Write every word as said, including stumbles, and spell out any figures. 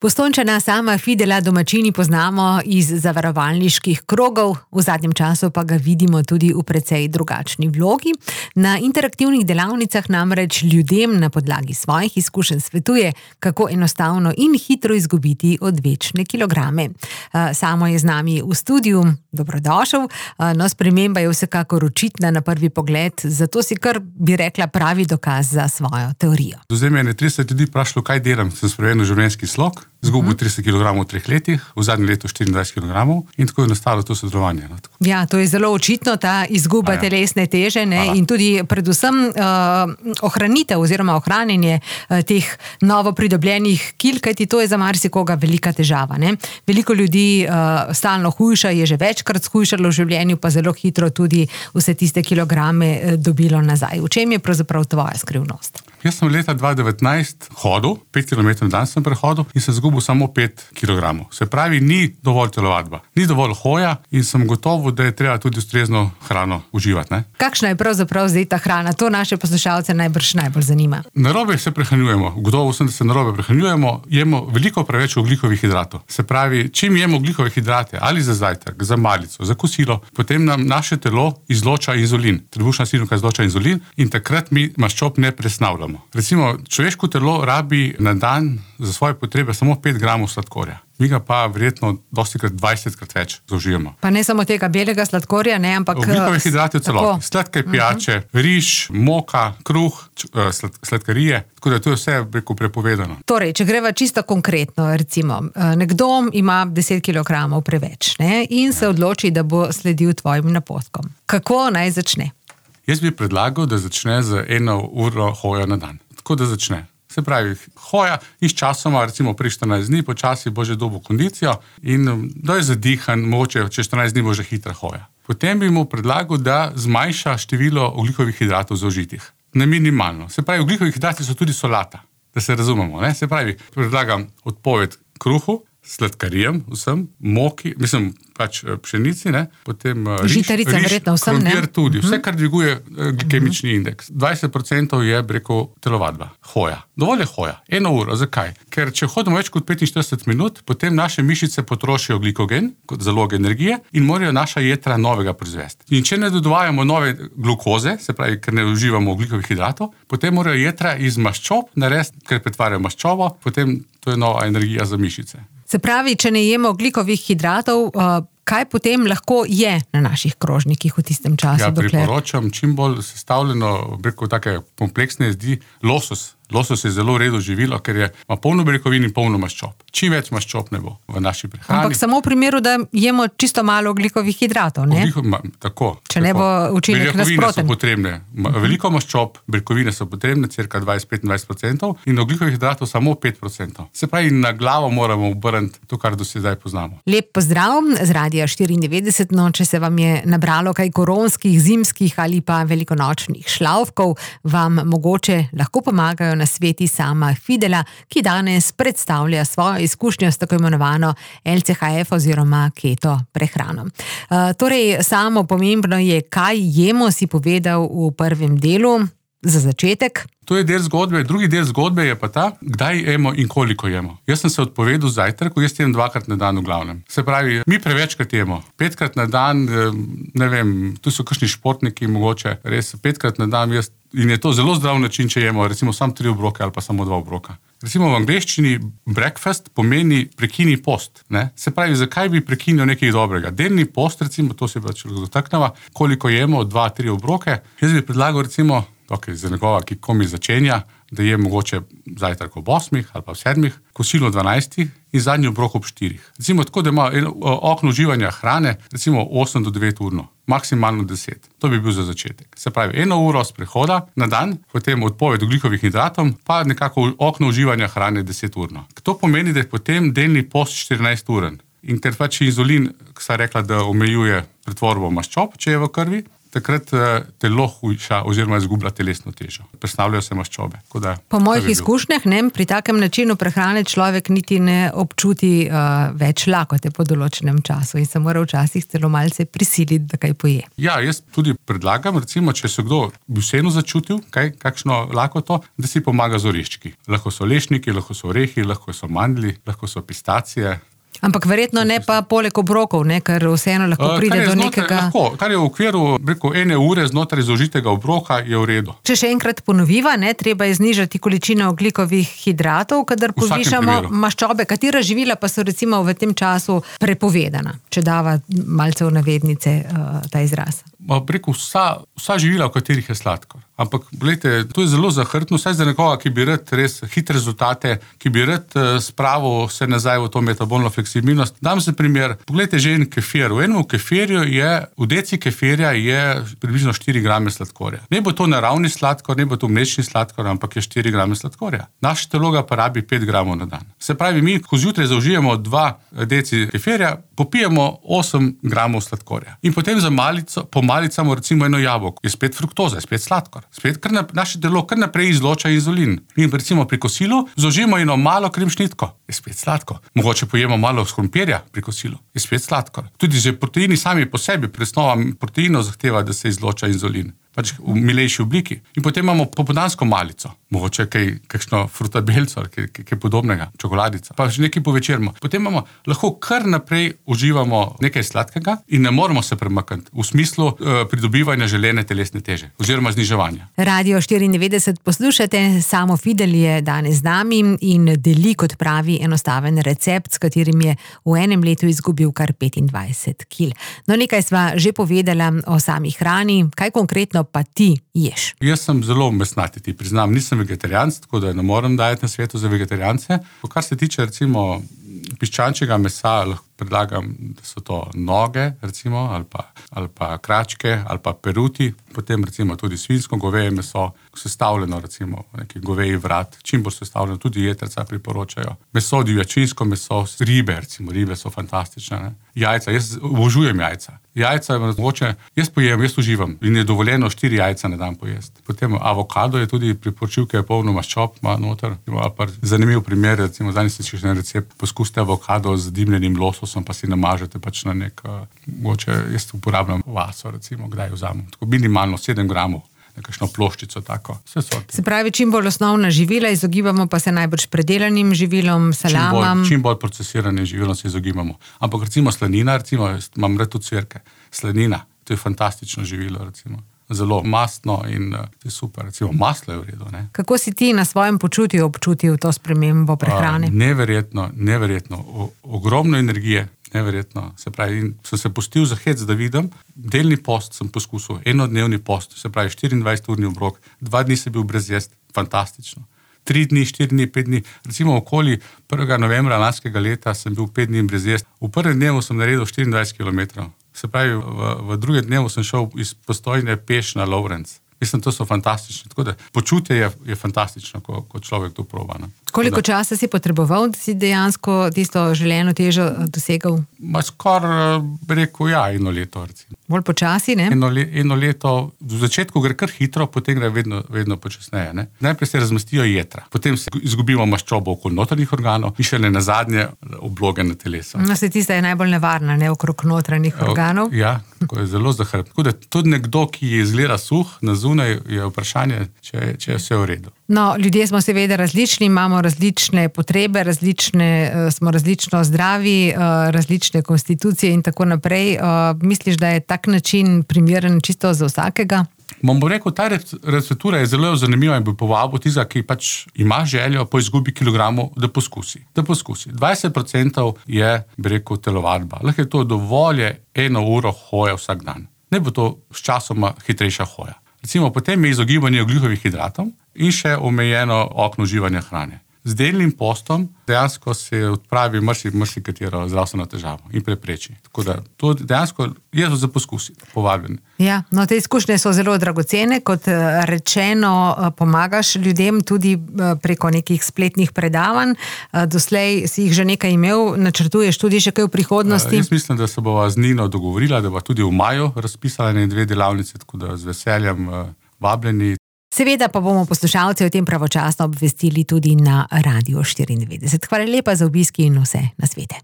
Postojnčana Sama Fidela domačini poznamo iz zavarovalniških krogov, v zadnjem času pa ga vidimo tudi v precej drugačni vlogi. Na interaktivnih delavnicah namreč ljudem na podlagi svojih izkušenj svetuje, kako enostavno in hitro izgubiti odvečne kilograme. Samo je z nami v studiu, dobrodošel, no sprememba je vsekakor očitna na prvi pogled, zato si kar bi rekla pravi dokaz za svojo teorijo. Do zdaj me je trideset ljudi vprašalo, kaj delam, sem spremenil življenjski slog. Zgubil trideset kilogramov v treh letih, v zadnjem letu štiriindvajset kilogramov in tako je nastalo to sodelovanje. Ja, to je zelo očitno, ta izguba ja. telesne teže ne, in tudi predvsem uh, ohranitev oziroma ohranjenje uh, teh novo pridobljenih kil, kajti to je za marsikoga velika težava. Ne. Veliko ljudi uh, stalno hujša, je že večkrat shujšalo v življenju, pa zelo hitro tudi vse tiste kilograme uh, dobilo nazaj. V čem je pravzaprav tvoja skrivnost? Jaz sem leta dva tisoč devetnajst hodil, pet kilometrov na dan sem prehodil in sem zgubil samo pet kilogramov. Se pravi, ni dovolj telovadba, ni dovolj hoja in sem gotovo, da je treba tudi ustrezno hrano uživati. Ne? Kakšna je pravzaprav zdaj ta hrana? To naše poslušalce najbrž najbolj zanima. Narobe se prehranjujemo, gotovo sem, da se narobe prehranjujemo, jemo veliko preveč ogljikovih hidratov. Se pravi, čim jemo ogljikove hidrate, ali za zajtrk, za malico, za kosilo, potem nam naše telo izloča inzulin. Trebušna slinavka izloča inzulin in takrat mi maščob ne presnavljamo. Recimo, človeško telo rabi na dan za svoje potrebe samo pet gramov sladkorja. Mi ga pa verjetno dostikrat dvajsetkrat več zaužijemo. Pa ne samo tega belega sladkorja, ne, ampak... Ogljikove hidrate v celoti. Sladke pijače, uh-huh. riž, moka, kruh, slad, sladkarije, tako da to je vse preko prepovedano. Torej, če greva čisto konkretno, recimo, nekdo ima deset kilogramov preveč, ne, in se odloči, da bo sledil tvojim napotkom. Kako naj začne? Jaz bi predlagal, da začne z eno uro hoja na dan. Tako da začne. Se pravi, hoja in s časoma, recimo pri štirinajst dni, počasi bo že dobil kondicijo in da je zadihan, mogoče čez štirinajst dni bo že hitra hoja. Potem bi mu predlagal, da zmanjša število ogljikovih hidratov zaužitih. Na minimalno. Se pravi, ogljikovih hidrati so tudi solata, da se razumemo. Ne? Se pravi, predlagam odpoved kruhu, sladkarijem, vsem, moki, mislim, pač pšenici, ne, potem riž, žitarice, riž, verjetno vsem, ne? krompir tudi, vse, kar dviguje glikemični indeks. dvajset procentov je preko telovadba, hoja. Dovolj je hoja, eno uro, zakaj? Ker če hodimo več kot petinštirideset minut, potem naše mišice potrošijo glikogen, kot zalog energije, in morajo naša jetra novega proizvesti. In če ne dodajamo nove glukoze, se pravi, ker ne uživamo ogljikovih hidratov, potem morajo jetra iz maščob narediti, ker pretvarjajo maščobo, potem to je nova energija za mišice. Se pravi, če ne jemo ogljikovih hidratov, kaj potem lahko je na naših krožnikih v tistem času? Ja, dokler... priporočam čim bolj sestavljeno, preko take kompleksne jedi, losos. Losos je zelo redo živilo, ker je, ima polno beljakovin in polno maščob. Čim več maščob ne bo v naši prehrani. Ampak samo v primeru, da jemo čisto malo ogljikovih hidratov, ne? Ogliko, ma, tako. Če ne bo učinek nasproten. Beljakovine so potrebne. Veliko maščob, beljakovine so potrebne, cirka dvajset do petindvajset procentov in ogljikovih hidratov samo pet procentov. Se pravi, na glavo moramo obrniti to, kar do sedaj poznamo. Lep pozdrav z Radia štiriindevetdeset, no, če se vam je nabralo kaj koronskih, zimskih ali pa velikonočnih šlavkov, vam mogoče lahko pomagajo na sveti Sama Fidela, ki danes predstavlja svojo izkušnjo s tako imenovano el ce ha ef oziroma keto prehrano. Uh, torej, samo pomembno je, kaj jemo, si povedal v prvem delu, za začetek. To je del zgodbe, drugi del zgodbe je pa ta, kdaj jemo in koliko jemo. Jaz sem se odpovedal zajtrku, jaz jem dvakrat na dan v glavnem. Se pravi, mi prevečkrat jemo. Petkrat na dan, ne vem, tu so kakšni športniki, mogoče res petkrat na dan, jaz, in je to zelo zdrav način, če jemo recimo samo tri obroke ali pa samo dva obroka. Recimo v angleščini breakfast pomeni prekini post. Ne? Se pravi, zakaj bi prekinil nekaj dobrega? Delni post, recimo, to se pač dotakneva, koliko jemo, dva, tri obroke. Jaz bi predlagal recimo, okay, za nekoga, ki komi začenja, da je mogoče zajtrk ob osmih ali pa v sedmih, kosilo ob dvanajstih in zadnji obrok ob štirih. Recimo tako, da ima okno uživanja hrane, recimo osem do devet urno, maksimalno deset. To bi bil za začetek. Se pravi, eno uro sprehoda na dan, potem odpoved ogljikovih hidratom, pa nekako okno uživanja hrane deset urno. To pomeni, da je potem delni post štirinajst uren. In ker pač inzulin, ki sta rekla, da omejuje pretvorbo maščob, če je v krvi, takrat telo hujša oziroma izgublja telesno težo. Prestavljajo se maščobe. Da, po mojih izkušnjah, ne, pri takem načinu prehrane človek niti ne občuti uh, več lakote po določenem času in se mora včasih celo malce prisiliti, da kaj poje. Ja, jaz tudi predlagam, recimo, če se kdo bi vseeno začutil, kaj, kakšno lakoto, da si pomaga z oreščki. Lahko so lešniki, lahko so orehi, lahko so mandlji, lahko so pistacije. Ampak verjetno ne pa poleg obrokov, ne, ker vseeno lahko pride do znotraj, nekega... Lahko, kar je v okviru rekel, ene ure znotraj zaužitega obroka, je v redu. Če še enkrat ponoviva, ne, treba je znižati količino ogljikovih hidratov, kadar povišamo maščobe. Katera živila pa so recimo v tem času prepovedana, če dava malce v navednice uh, ta izraz? Rekel, vsa, vsa živila, v katerih je sladkor. Ampak, gledajte, to je zelo zahrtno, vsaj za nekoga, ki bi rad res hitre rezultate, ki bi rad spravil se nazaj v to metabolno fleksibilnost. Dam se primer, pogledajte že en kefir. V enem kefirju je, v deci kefirja je približno štiri grame sladkorja. Ne bo to naravni sladkor, ne bo to mlečni sladkor, ampak je štiri grame sladkorja. Naše telo ga pa rabi pet gramov na dan. Se pravi, mi, ko zjutraj zaužijemo dva deci kefirja, popijemo osem gramov sladkorja. In potem za malico, po malicamo recimo eno jabolko, je spet fruktoza, je spet sladkor. Spet kar na, naše telo kar naprej izloča inzulin. Mi recimo pri kosilu zaužijemo eno malo kremšnitko, je spet sladko. Mogoče pojemo malo krompirja pri kosilu, je spet sladkor. Tudi že proteini sami po sebi, presnova proteinov zahteva, da se izloča inzulin. Pač v milejši obliki. In potem imamo popoldansko malico, mogoče kaj, kakšno frutabelco, kaj, kaj, kaj podobnega, čokoladica, pa še nekaj povečermo. Potem imamo, lahko kar naprej uživamo nekaj sladkega in ne moramo se premakniti v smislu uh, pridobivanja želene telesne teže oziroma zniževanja. Radio štiriindevetdeset poslušate, Samo Fidel je danes z nami in deli, kot pravi, enostaven recept, s katerim je v enem letu izgubil kar petindvajset kil. No, nekaj sva že povedala o sami hrani, kaj konkretno pa ti ješ? Jaz sem zelo mesnati, ti priznam, nisem vegetarijanc, tako da ne morem dajati na svetu za vegetarijance. Kar se tiče recimo piščančjega mesa, lahko predlagam, da so to noge, recimo, ali pa, ali pa kračke, ali pa peruti, potem recimo tudi svinjsko goveje meso, sestavljeno recimo neki goveji vrat, čim bo sestavljeno, tudi jetrca priporočajo. Meso, divjačinsko meso, ribe, recimo, ribe so fantastične, ne? Jajca, jaz obožujem jajca. Jajca je mogoče, jaz pojem, jaz uživam in je dovoljeno štiri jajca na dan pojesti. Potem avokado je tudi priporočil, ki je polno maščob, ima noter. Zanimiv primer, recimo, danes si še en recept, poskusite avokado z dimljenim lososom, pa si namažete pač na nek, mogoče jaz uporabljam vaso, recimo, kdaj vzamem. Tako minimalno sedem gramov. Nekakšno ploščico tako. Se pravi, čim bolj osnovna živila, izogibamo pa se najbrž predelanim živilom, salamam. Čim bolj, čim bolj procesiranim živilom se izogibamo. Ampak recimo slanina, recimo, imam rad tudi cvirke. Slanina, to je fantastično živilo, recimo. Zelo mastno in uh, to je super. Recimo, maslo je v redu, ne? Kako si ti na svojem počutju občutil to spremembo prehrane? Uh, neverjetno, neverjetno. O, ogromno energije. Neverjetno. Se pravi, in sem se pustil za hec, da vidim. Delni post sem poskusil, enodnevni post, se pravi štiriindvajseturni obrok, dva dni sem bil brez jesti, fantastično. Tri dni, štiri dni, pet dni, recimo okoli prvega novembra lanskega leta sem bil pet dni brez jesti. V prvem dnevu sem naredil štiriindvajset kilometrov. Se pravi, v, v drugem dnevu sem šel iz Postojne peš na Lovrenc. Mislim, to so fantastični. Tako da počutje je, je fantastično, ko, ko človek to proba. Ne? Koliko časa si potreboval, da si dejansko tisto želeno težo dosegal? Ma skoraj, bi rekel, ja, eno leto, recimo. Bolj počasi, ne? Eno, le, eno leto, v začetku gre kar hitro, potem gre vedno, vedno počasneje. Ne? Najprej se razmestijo jetra, potem se izgubimo maščobo okoli notranjih organov in še ne nazadnje obloge na telesu. No, se tista je najbolj nevarna, ne, okrog notranjih organov. Ja, tako je zelo zahrbno. Tako da tudi nekdo, ki je izgleda suh, na zunaj je vprašanje, če, če je vse v redu. No, ljudje smo seveda različni, imamo različne potrebe, različne, smo različno zdravi, različne konstitucije in tako naprej. Misliš, da je tak način primeren čisto za vsakega? Bom bo rekel, ta receptura je zelo zanimiva in bi povabil tistega, ki pač ima željo po izgubi kilogramov, da poskusi. Da poskusi. dvajset procentov je, bi rekel, telovadba. Lahko je to dovolj eno uro hoja vsak dan. Ne bo to s časoma hitrejša hoja. Recimo, potem je izogibanje ogljikovih hidratov in še omejeno okno uživanja hrane. z delnim postom dejansko se odpravi marsi, marsi katero zdravstveno težavo in prepreči. Tako da to dejansko je za poskusiti, povabljeni. Ja, no, te izkušnje so zelo dragocene, kot rečeno, pomagaš ljudem tudi preko nekih spletnih predavanj. Doslej si jih že nekaj imel, načrtuješ tudi še kaj v prihodnosti? Jaz mislim, da se bova z Nino dogovorila, da bo tudi v maju razpisala ene dve delavnice, tako da z veseljem vabljeni. Seveda pa bomo poslušalce o tem pravočasno obvestili tudi na Radiu štiriindevetdeset. Hvala lepa za obisk in vse nasvete.